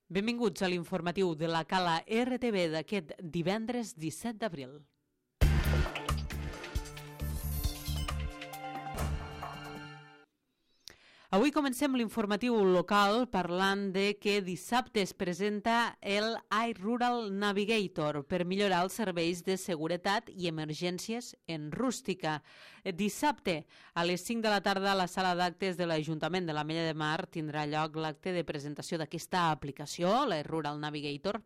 Benvinguts a l'informatiu de la Cala RTV d'aquest divendres 17 d'abril. Avui comencem l'informatiu local parlant de que dissabte es presenta el iRural Navigator per millorar els serveis de seguretat i emergències en rústica. Dissabte, a les 5 de la tarda, a la sala d'actes de l'Ajuntament de l'Ametlla de Mar tindrà lloc l'acte de presentació d'aquesta aplicació, l'iRural Navigator,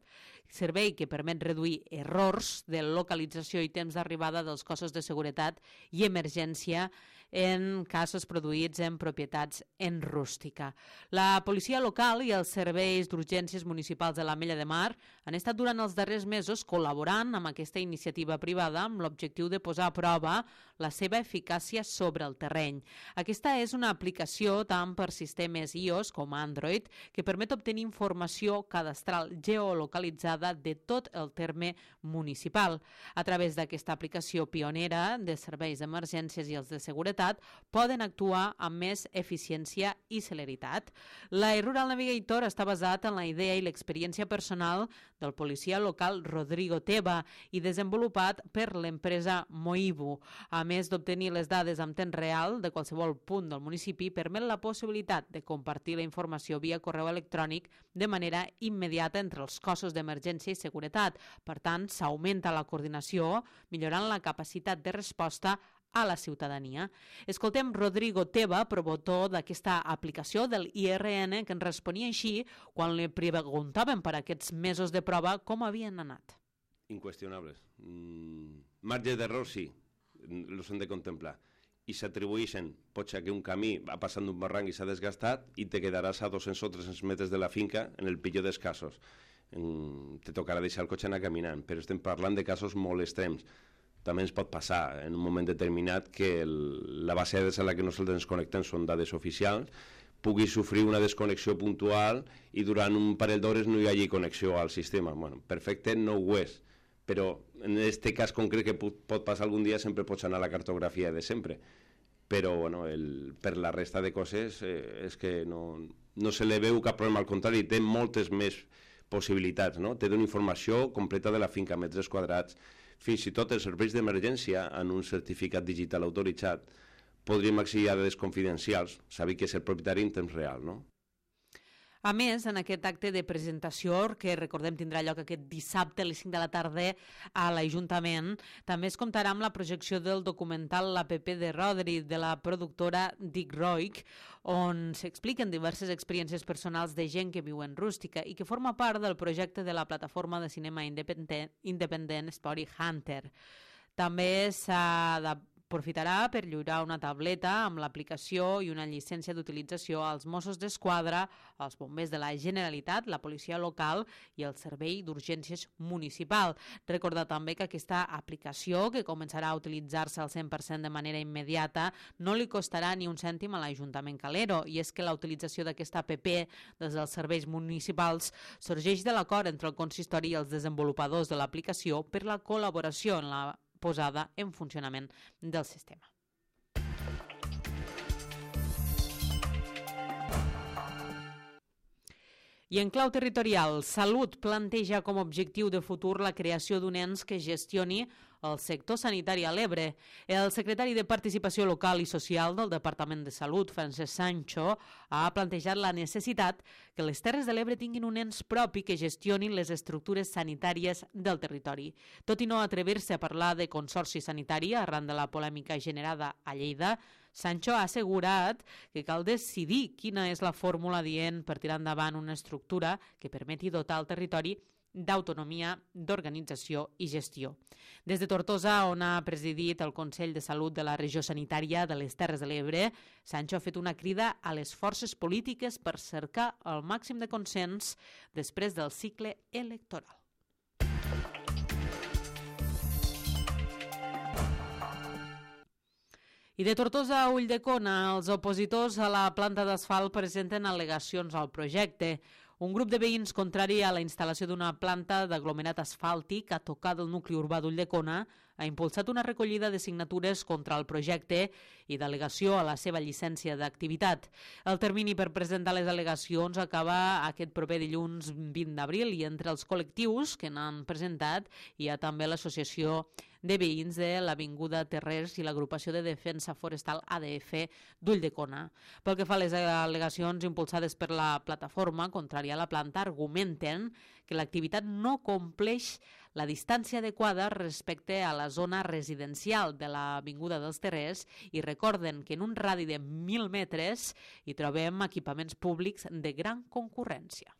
servei que permet reduir errors de localització i temps d'arribada dels cossos de seguretat i emergència en casos produïts en propietats en rústica. La policia local i els serveis d'urgències municipals de l'Ametlla de Mar han estat durant els darrers mesos col·laborant amb aquesta iniciativa privada amb l'objectiu de posar a prova la seva eficàcia sobre el terreny. Aquesta és una aplicació tant per sistemes iOS com Android que permet obtenir informació cadastral geolocalitzada de tot el terme municipal. A través d'aquesta aplicació pionera de serveis d'emergències i els de seguretat poden actuar amb més eficiència i celeritat. L'iRural Navigator està basat en la idea i l'experiència personal del policia local Rodrigo Teba i desenvolupat per l'empresa Moibu. A més d'obtenir les dades en temps real de qualsevol punt del municipi, permet la possibilitat de compartir la informació via correu electrònic de manera immediata entre els cossos d'emergència i seguretat. Per tant, s'augmenta la coordinació, millorant la capacitat de resposta a la ciutadania. Escoltem Rodrigo Teba, promotor d'aquesta aplicació del IRN, que ens responia així quan li preguntàvem per aquests mesos de prova com havien anat. Inqüestionables. Marge d'error sí, els hem de contemplar. I s'atribueixen, pot ser que un camí va passant d'un barranc i s'ha desgastat i te quedaràs a 200 o 300 metres de la finca en el pitjor dels casos. Te tocarà deixar el cotxe anar caminant, però estem parlant de casos molt extrems. També ens pot passar en un moment determinat que la base de dades a la que nosaltres ens connectem són dades oficials, pugui sofrir una desconnexió puntual i durant un parell d'hores no hi hagi connexió al sistema. Bueno, perfecte no ho és, però en aquest cas concret que pot passar algun dia sempre pots anar a la cartografia de sempre. Però bueno, per la resta de coses és que no se li veu cap problema, al contrari, té moltes més possibilitats, no? Té una informació completa de la finca, metres quadrats, fins i tot els serveis d'emergència en un certificat digital autoritzat podríem accedir a dades confidencials, saber que és el propietari en temps real, no? A més, en aquest acte de presentació, que recordem tindrà lloc aquest dissabte a les 5 de la tarda a l'Ajuntament, també es comptarà amb la projecció del documental L'APP de Rodri, de la productora Dick Roig, on s'expliquen diverses experiències personals de gent que viu en rústica i que forma part del projecte de la plataforma de cinema independent Spotty Hunter. També aprofitarà per lliurar una tableta amb l'aplicació i una llicència d'utilització als Mossos d'Esquadra, als bombers de la Generalitat, la policia local i el servei d'urgències municipal. Recordar també que aquesta aplicació, que començarà a utilitzar-se al 100% de manera immediata, no li costarà ni un cèntim a l'Ajuntament Calero, i és que la utilització d'aquesta app des dels serveis municipals sorgeix de l'acord entre el consistori i els desenvolupadors de l'aplicació per la col·laboració en la posada en funcionament del sistema. I en clau territorial, Salut planteja com a objectiu de futur la creació d'un ens que gestioni el sector sanitari a l'Ebre. El secretari de Participació Local i Social del Departament de Salut, Francesc Sancho, ha plantejat la necessitat que les Terres de l'Ebre tinguin un ens propi que gestioni les estructures sanitàries del territori. Tot i no atrevir-se a parlar de consorci sanitari arran de la polèmica generada a Lleida, Sancho ha assegurat que cal decidir quina és la fórmula adient per tirar endavant una estructura que permeti dotar el territori d'autonomia, d'organització i gestió. Des de Tortosa, on ha presidit el Consell de Salut de la Regió Sanitària de les Terres de l'Ebre, Sancho ha fet una crida a les forces polítiques per cercar el màxim de consens després del cicle electoral. I de Tortosa a Ulldecona, els opositors a la planta d'asfalt presenten al·legacions al projecte. Un grup de veïns contrari a la instal·lació d'una planta d'aglomerat asfàltic a tocar del nucli urbà d'Ulldecona ha impulsat una recollida de signatures contra el projecte i d'al·legació a la seva llicència d'activitat. El termini per presentar les al·legacions acaba aquest proper dilluns 20 d'abril i entre els col·lectius que n'han presentat hi ha també l'Associació de Veïns de l'Avinguda Terrers i l'Agrupació de Defensa Forestal ADF d'Ulldecona. Pel que fa a les al·legacions impulsades per la plataforma contrària a la planta, argumenten que l'activitat no compleix la distància adequada respecte a la zona residencial de l'Avinguda dels Terrers i recorden que en un radi de 1.000 metres hi trobem equipaments públics de gran concurrència.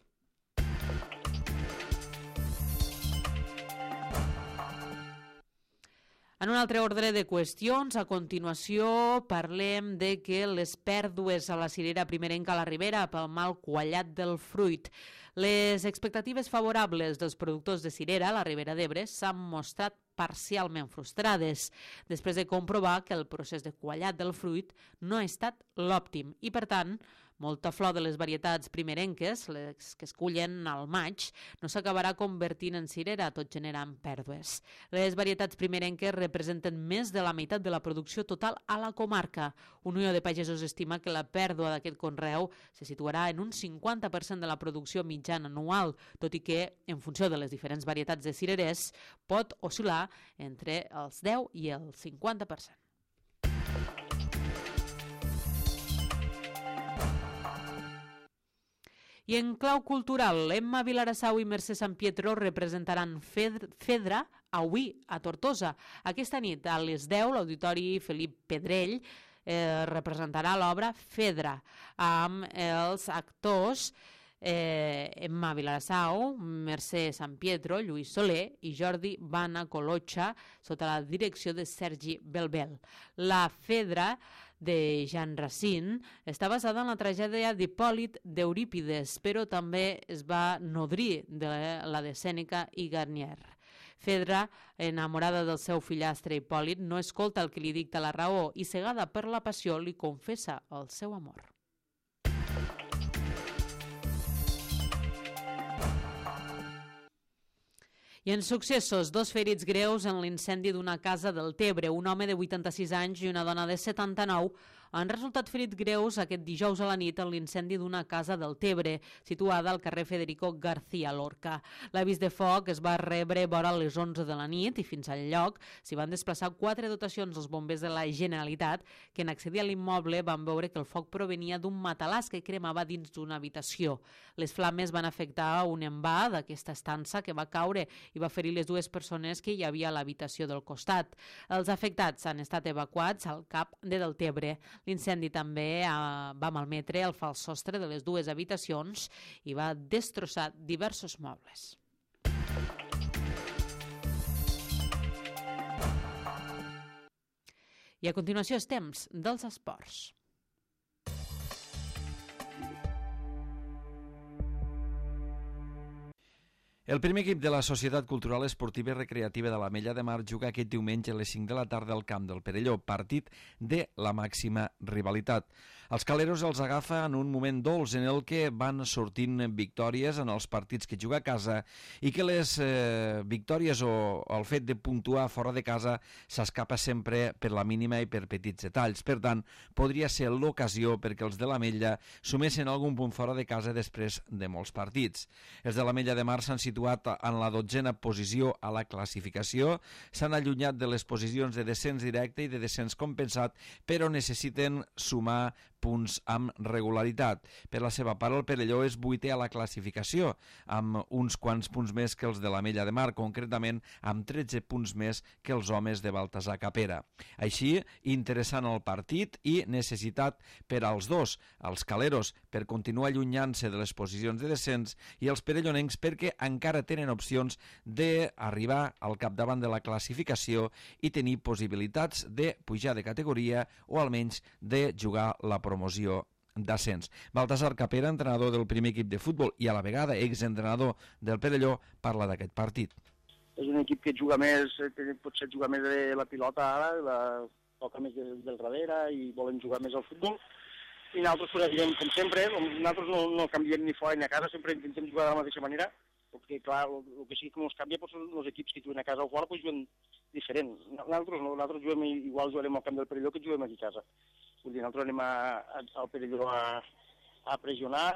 En un altre ordre de qüestions, a continuació parlem de que les pèrdues a la cirera primerenca a la Ribera pel mal quallat del fruit. Les expectatives favorables dels productors de cirera a la Ribera d'Ebre s'han mostrat parcialment frustrades, després de comprovar que el procés de quallat del fruit no ha estat l'òptim i, per tant, molta flor de les varietats primerenques, les que es cullen al maig, no s'acabarà convertint en cirera, tot generant pèrdues. Les varietats primerenques representen més de la meitat de la producció total a la comarca. Unió de Pagesos estima que la pèrdua d'aquest conreu se situarà en un 50% de la producció mitjana anual, tot i que, en funció de les diferents varietats de cirerers, pot oscil·lar entre els 10 i el 50%. I en clau cultural, Emma Vilarassau i Mercè Sampietro representaran Fedra avui a Tortosa. Aquesta nit, a les 10, l'Auditori Felip Pedrell representarà l'obra Fedra amb els actors Emma Vilarassau, Mercè Sampietro, Lluís Soler i Jordi Bana Colotxa sota la direcció de Sergi Belbel. La Fedra de Jean Racine està basada en la tragèdia d'Hipòlit d'Eurípides, però també es va nodrir de la de Sèneca i Garnier. Fedra, enamorada del seu fillastre Hipòlit, no escolta el que li dicta la raó i, cegada per la passió, li confessa el seu amor. I en successos, 2 ferits greus en l'incendi d'una casa del Tebre. Un home de 86 anys i una dona de 79 han resultat ferits greus aquest dijous a la nit en l'incendi d'una casa del Tebre, situada al carrer Federico García Lorca. L'avís de foc es va rebre vora les 11 de la nit i fins al lloc s'hi van desplaçar 4 dotacions dels bombers de la Generalitat que en accedir a l'immoble van veure que el foc provenia d'un matalàs que cremava dins d'una habitació. Les flames van afectar un envà d'aquesta estança que va caure i va ferir les 2 persones que hi havia a l'habitació del costat. Els afectats han estat evacuats al CAP de Deltebre. L'incendi també va malmetre el fals sostre de les 2 habitacions i va destrossar diversos mobles. I a continuació és temps dels esports. El primer equip de la Societat Cultural Esportiva i Recreativa de l'Ametlla de Mar juga aquest diumenge a les 5 de la tarda al camp del Perelló, partit de la màxima rivalitat. Els caleros els agafa en un moment dolç en el que van sortint victòries en els partits que juga a casa i que les victòries o el fet de puntuar fora de casa s'escapa sempre per la mínima i per petits detalls. Per tant, podria ser l'ocasió perquè els de l'Ametlla sumessin algun punt fora de casa després de molts partits. Els de l'Ametlla de Mar s'han situat en la 12a posició a la classificació, s'han allunyat de les posicions de descens directe i de descens compensat, però necessiten sumar punts amb regularitat. Per la seva part, el Perelló és 8è a la classificació, amb uns quants punts més que els de l'Ametlla de Mar, concretament amb 13 punts més que els homes de Baltasar Capera. Així, interessant el partit i necessitat per als dos, els caleros per continuar allunyant-se de les posicions de descens i els perellonencs perquè encara tenen opcions d'arribar al capdavant de la classificació i tenir possibilitats de pujar de categoria o almenys de jugar la promoció d'ascens. Baltasar Capera, entrenador del primer equip de futbol i a la vegada exentrenador del Perelló, parla d'aquest partit. És un equip que juga més, potser juga més de la pilota ara, toca més del darrere i volen jugar més al futbol. i nosaltres pues, anirem com sempre, nosaltres no canviem ni fora ni a casa, sempre intentem jugar de la mateixa manera, perquè clar, el que sí que ens canvia pues, són els equips que juguen a casa o fora pues, juguen diferent. Nosaltres juguem igual jugarem al camp del Perelló que juguem aquí a casa. Vull dir, nosaltres anem al Perelló a pressionar,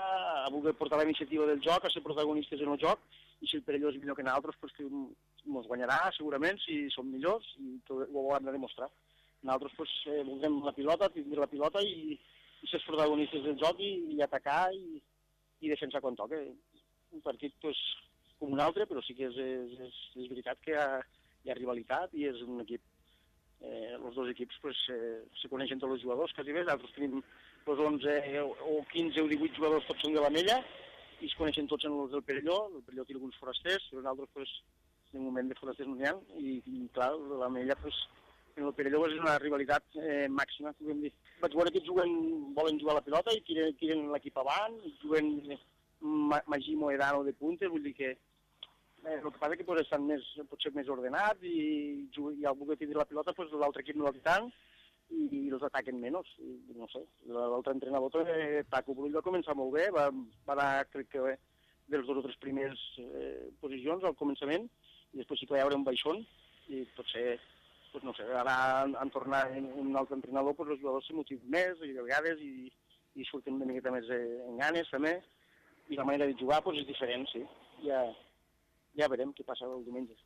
a voler portar la iniciativa del joc, a ser protagonistes en el joc, i si el Perelló és millor que nosaltres, pues, que ens guanyarà segurament si som millors, i ho hem de demostrar. Nosaltres pues, voldrem la pilota, tindre la pilota i ser protagonistes del joc i atacar i defensar quan toca. Un partit pues, com un altre, però sí que és veritat que hi ha rivalitat i és un equip. Els dos equips pues, se coneixen tots els jugadors, quasi bé. Nosaltres tenim pues, 11 o 15 o 18 jugadors, tots són de la Mella, i es coneixen tots en els del Perelló. El Perelló té alguns forasters, però nosaltres pues, en un moment de forasters no n'hi ha, i clar, la Mella pues, en el Perelló és una rivalitat màxima, podem dir. Vaig veure que volen jugar a la pilota i tiren l'equip avant, juguen Magí Moedano de punta, vull dir que el que passa és que estan potser més ordenats i al voler tindre la pilota l'altre equip no la té tant i els ataquen menys. No sé, l'altre entrenador, Paco Brull, va començar molt bé, va anar, crec que, dels 2 o 3 primers posicions al començament i després sí que va haver un baixón i potser pues no sé, ara en tornar un altre entrenador, pues els jugadors se motiven més i de vegades i surten una miqueta més en ganes també, i la manera de jugar pues, és diferent, sí. Ja verem què passa el diumenge.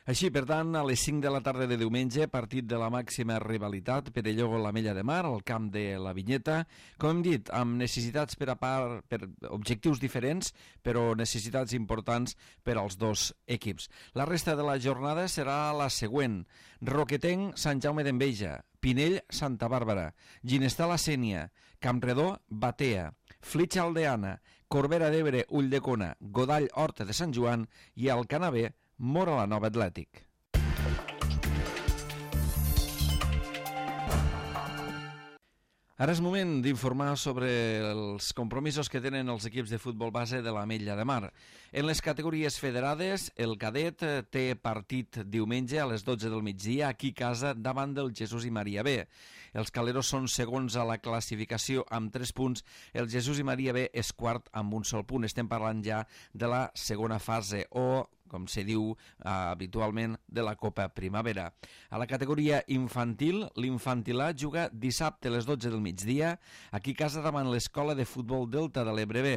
Així, per tant, a les 5 de la tarda de diumenge, partit de la màxima rivalitat, Perelló-La Mella de Mar, al camp de la Vinyeta, com hem dit, amb necessitats per objectius diferents, però necessitats importants per als dos equips. La resta de la jornada serà la següent: Roquetenc, Sant Jaume d'Enveja, Pinell, Santa Bàrbara, Ginestar, La Sénia, Campredó, Batea, Flitxa, Aldeana, Corbera d'Ebre, Ulldecona, Godall, Horta de Sant Joan i Alcanavé, Móra la Nova Atlètic. Ara és moment d'informar sobre els compromisos que tenen els equips de futbol base de l'Ametlla de Mar. En les categories federades, el cadet té partit diumenge a les 12 del migdia aquí a casa davant del Jesús i Maria B. Els caleros són segons a la classificació amb 3 punts. El Jesús i Maria B és quart amb un sol punt. Estem parlant ja de la segona fase o, com se diu habitualment, de la Copa Primavera. A la categoria infantil, l'Infantil A juga dissabte a les 12 del migdia aquí a casa davant l'Escola de Futbol Delta de l'Ebre B.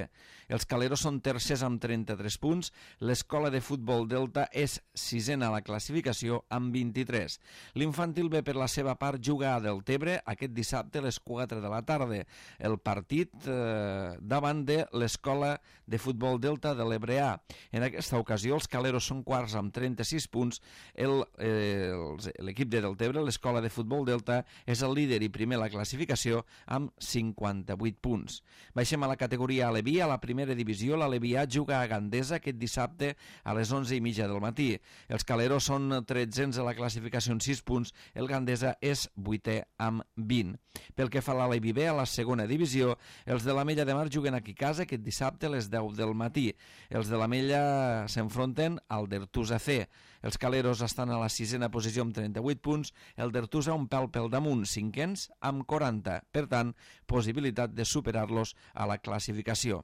Els caleros són tercers amb 33 punts. L'Escola de Futbol Delta és sisena a la classificació amb 23. L'Infantil B, per la seva part, juga a Deltebre aquest dissabte a les 4 de la tarda. El partit davant de l'Escola de Futbol Delta de l'Ebre A. En aquesta ocasió, els caleros són quarts amb 36 punts. L'equip de Deltebre, l'Escola de Futbol Delta, és el líder i primer a la classificació amb 58 punts. Baixem a la categoria Aleví. A la primera divisió, l'Alevià juga a Gandesa aquest dissabte a les 11:30 del matí. Els caleros són 13ens a la classificació amb 6 punts. El Gandesa és 8è amb 20. Pel que fa a l'Aleví B, a la segona divisió, els de l'Ametlla de Mar juguen aquí a casa aquest dissabte a les 10 del matí. Els de l'Ametlla s'enfronten al Dertusa C. Els caleros estan a la 6a posició amb 38 punts, el Dertusa un pèl pel damunt, 5ens amb 40. Per tant, possibilitat de superar-los a la classificació.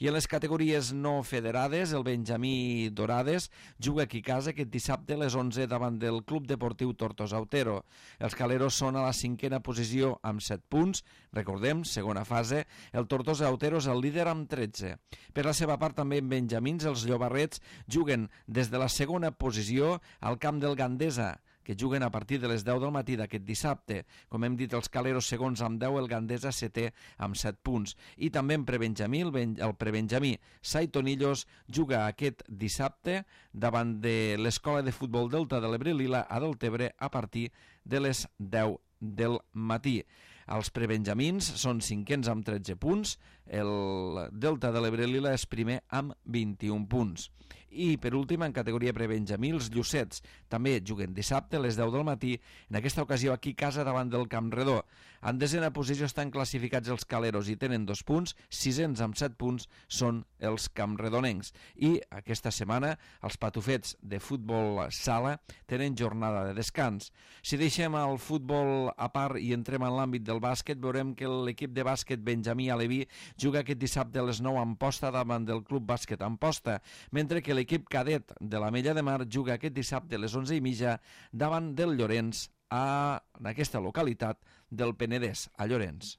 I en les categories no federades, el Benjamí Dorades juga aquí a casa aquest dissabte a les 11 davant del Club Deportiu Tortosa Otero. Els caleros són a la 5a posició amb 7 punts. Recordem, segona fase, el Tortosa Otero és el líder amb 13. Per la seva part, també en Benjamins, els Llobarrets juguen des de la segona posició al camp del Gandesa, que juguen a partir de les 10 del matí d'aquest dissabte. Com hem dit, els caleros segons amb 10, el Gandesa setè amb 7 punts. I també en prebenjamí, el prebenjamí Saitonillos juga aquest dissabte davant de l'Escola de Futbol Delta de l'Ebre Lila a Deltebre a partir de les 10 del matí. Els prebenjamins són 5ens amb 13 punts, el Delta de l'Ebre Lila és primer amb 21 punts. I, per últim, en categoria prebenjamí, els Llucets també juguen dissabte a les 10 del matí, en aquesta ocasió aquí a casa davant del Camp Redó. En desena posició estan classificats els Caleros i tenen 2 punts, sisens amb 7 punts són els campredonencs. I aquesta setmana els patufets de futbol sala tenen jornada de descans. Si deixem el futbol a part i entrem en l'àmbit del bàsquet, veurem que l'equip de bàsquet Benjamí Aleví juga aquest dissabte a les 9 a Amposta davant del Club Bàsquet Amposta, mentre que l'equip cadet de l'Ametlla de Mar juga aquest dissabte a les 11:30 davant del Llorenç en aquesta localitat del Penedès, a Llorenç.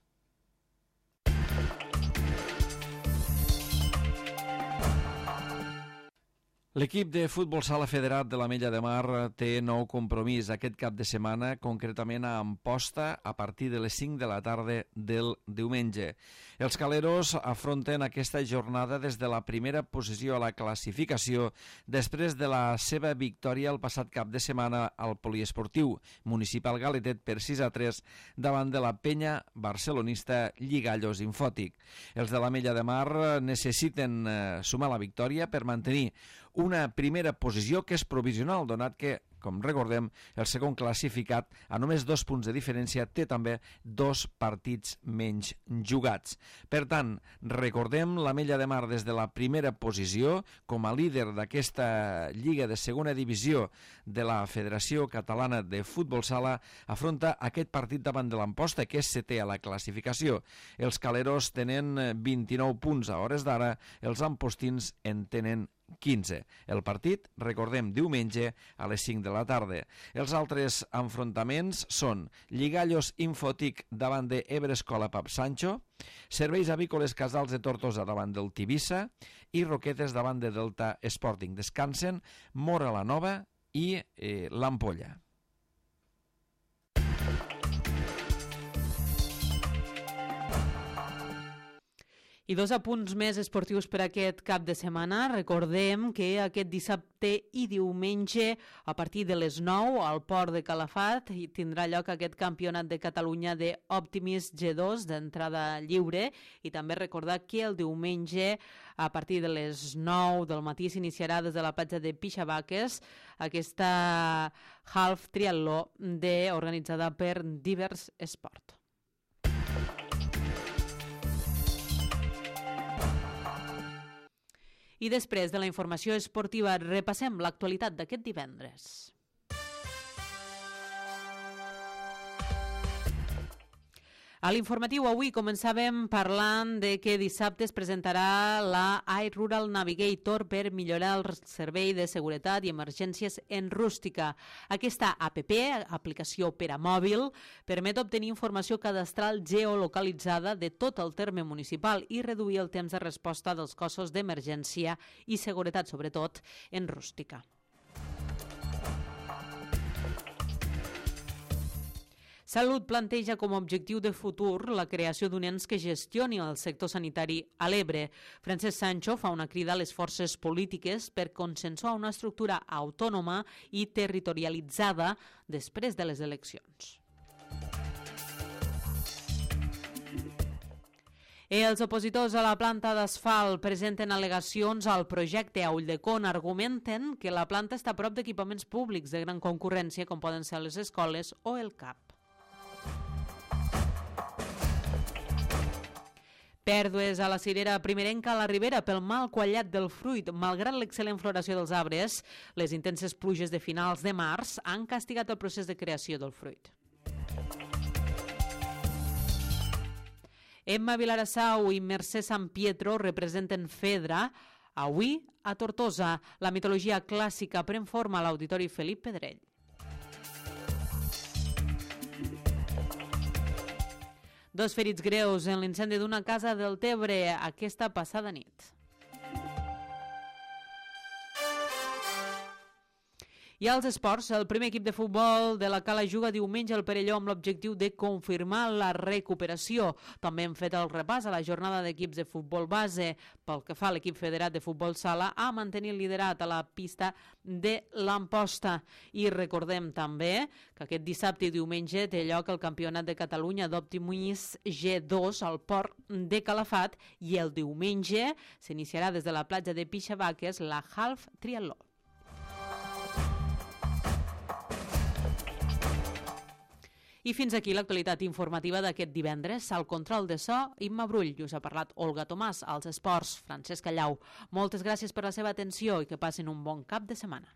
L'equip de futbol sala federat de l'Ametlla de Mar té nou compromís aquest cap de setmana, concretament a Amposta, a partir de les 5 de la tarda del diumenge. Els caleros afronten aquesta jornada des de la primera posició a la classificació després de la seva victòria el passat cap de setmana al poliesportiu municipal Galetet per 6-3 davant de la penya barcelonista Lligallos Infòtic. Els de l'Ametlla de Mar necessiten sumar la victòria per mantenir una primera posició que és provisional, donat que, com recordem, el segon classificat, a només 2 punts de diferència, té també 2 partits menys jugats. Per tant, recordem, l'Ametlla de Mar des de la primera posició, com a líder d'aquesta Lliga de segona divisió de la Federació Catalana de Futbol Sala, afronta aquest partit davant de l'Amposta, que és setè a la classificació. Els caleros tenen 29 punts a hores d'ara, els ampostins en tenen 15. El partit, recordem, diumenge a les 5 de la tarda. Els altres enfrontaments són Lligallos Infòtic davant de Ebre Escola Pap Sancho, Serveis Avícoles Casals de Tortosa davant del Tivissa i Roquetes davant de Delta Sporting. Descansen Mora la Nova i l'Ampolla. I 2 apunts més esportius per aquest cap de setmana. Recordem que aquest dissabte i diumenge, a partir de les 9, al Port de Calafat, tindrà lloc aquest campionat de Catalunya d'Optimis G2 d'entrada lliure. I també recordar que el diumenge, a partir de les 9 del matí, s'iniciarà des de la platja de Pixabaques aquesta half triatló organitzada per Divers Esport. I després de la informació esportiva, repassem l'actualitat d'aquest divendres. A l'informatiu avui començàvem parlant de que dissabte es presentarà la iRural Navigator per millorar el servei de seguretat i emergències en rústica. Aquesta aplicació per a mòbil, permet obtenir informació cadastral geolocalitzada de tot el terme municipal i reduir el temps de resposta dels cossos d'emergència i seguretat, sobretot en rústica. Salut planteja com a objectiu de futur la creació d'un ens que gestioni el sector sanitari a l'Ebre. Francesc Sancho fa una crida a les forces polítiques per consensuar una estructura autònoma i territorialitzada després de les eleccions. Els opositors a la planta d'asfalt presenten al·legacions al projecte a Ulldecona. Argumenten que la planta està a prop d'equipaments públics de gran concurrència, com poden ser les escoles o el CAP. Pèrdues a la cirera primerenca a la Ribera pel mal quallat del fruit. Malgrat l'excel·lent floració dels arbres, les intenses pluges de finals de març han castigat el procés de creació del fruit. Emma Vilarassau i Mercè Sant Pietro representen Fedra, avui a Tortosa. La mitologia clàssica pren forma a l'Auditori Felip Pedrell. Dos ferits greus en l'incendi d'una casa del Tebre aquesta passada nit. I als esports, el primer equip de futbol de la Cala juga diumenge al Perelló amb l'objectiu de confirmar la recuperació. També hem fet el repàs a la jornada d'equips de futbol base. Pel que fa a l'equip federat de futbol sala, a mantenir el liderat a la pista de l'Amposta. I recordem també que aquest dissabte i diumenge té lloc el Campionat de Catalunya d'Optimis G2 al Port de Calafat i el diumenge s'iniciarà des de la platja de Pixavaques la Half Triatló. I fins aquí l'actualitat informativa d'aquest divendres. Al control de so, Imma Brull. I us ha parlat Olga Tomàs. Als esports, Francesc Callau. Moltes gràcies per la seva atenció i que passin un bon cap de setmana.